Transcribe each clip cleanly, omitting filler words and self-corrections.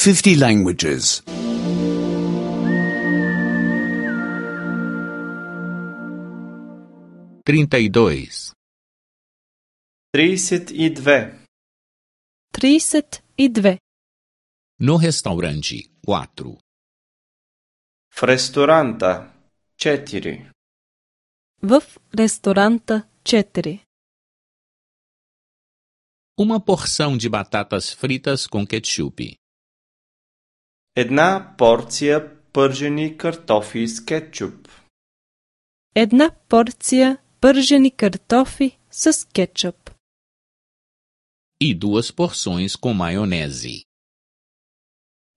50 languages. 32. 32. 32. No restaurante, 4. В ресторанта 4. В ресторанта 4. Uma porção de batatas fritas com ketchup. Една порција пържени картофи с кетчуп. Една порција пържени картофи с кетчуп. E 2 porções com maionese.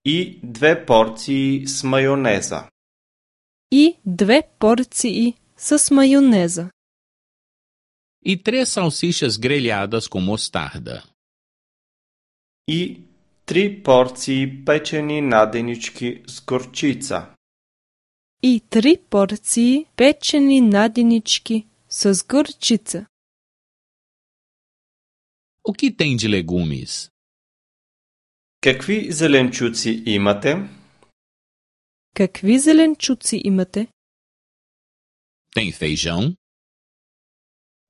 И 2 порции с мајонеза. И 2 порции с мајонеза. E 3 salsichas grelhadas com mostarda. И 3 порции печени наденички с горчица. И 3 порции печени наденички с горчица. O que tem de legumes? Какви зеленчуци имате? Какви зеленчуци имате? Tem feijão?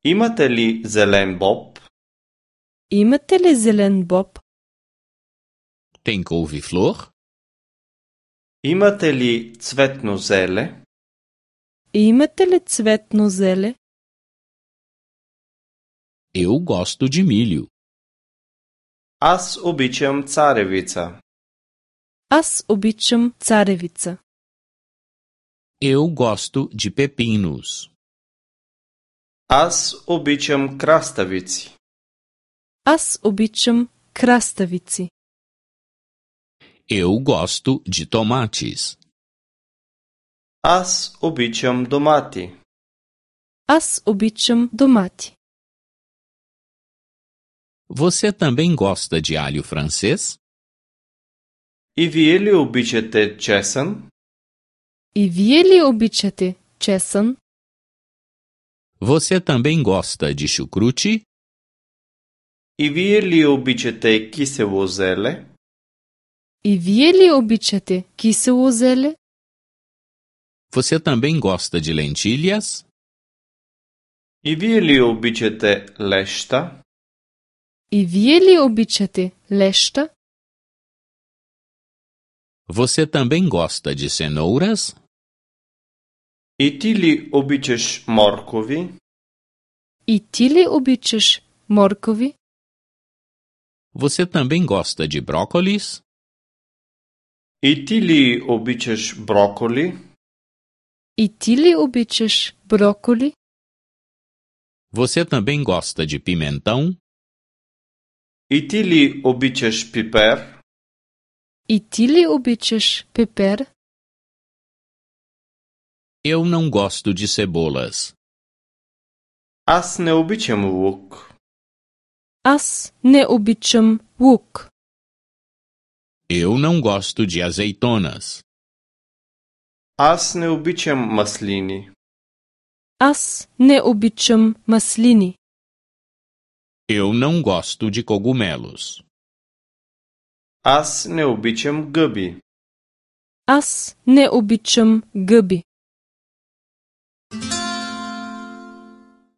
Имате ли зелен боб? Имате ли зелен боб? Tem couve-flor? Имате ли цветно зеле? Имате ли цветно зеле? Eu gosto de milho. Аз обичам царевица. Аз обичам царевица. Eu gosto de pepinos. Аз обичам краставици. Аз обичам краставици. Eu gosto de tomates. Аз обичам домати. Аз обичам домати. Você também gosta de alho francês? И вие ли обичате чесън? И вие ли обичате чесън? Você também gosta de chucrute? И вие ли обичате кисело зеле? И вие ли обичате кисело зеле? Você também gosta de lentilhas? И вие ли обичате леща? И вие ли обичате леща? Você também gosta de cenouras? И ти ли обичаш моркови? И ти ли обичаш моркови? Você também gosta de brócolis? И ти ли обичаш броколи? И ти ли обичаш броколи? Você também gosta de pimentão? И ти ли обичаш пипер? И ти ли обичаш пепер? Eu não gosto de cebolas. Аз не обичам лук. Аз не обичам лук. Eu não gosto de azeitonas. Аз не обичам маслини. Аз не обичам маслини. Eu não gosto de cogumelos. Аз не обичам гъби. Аз не обичам гъби.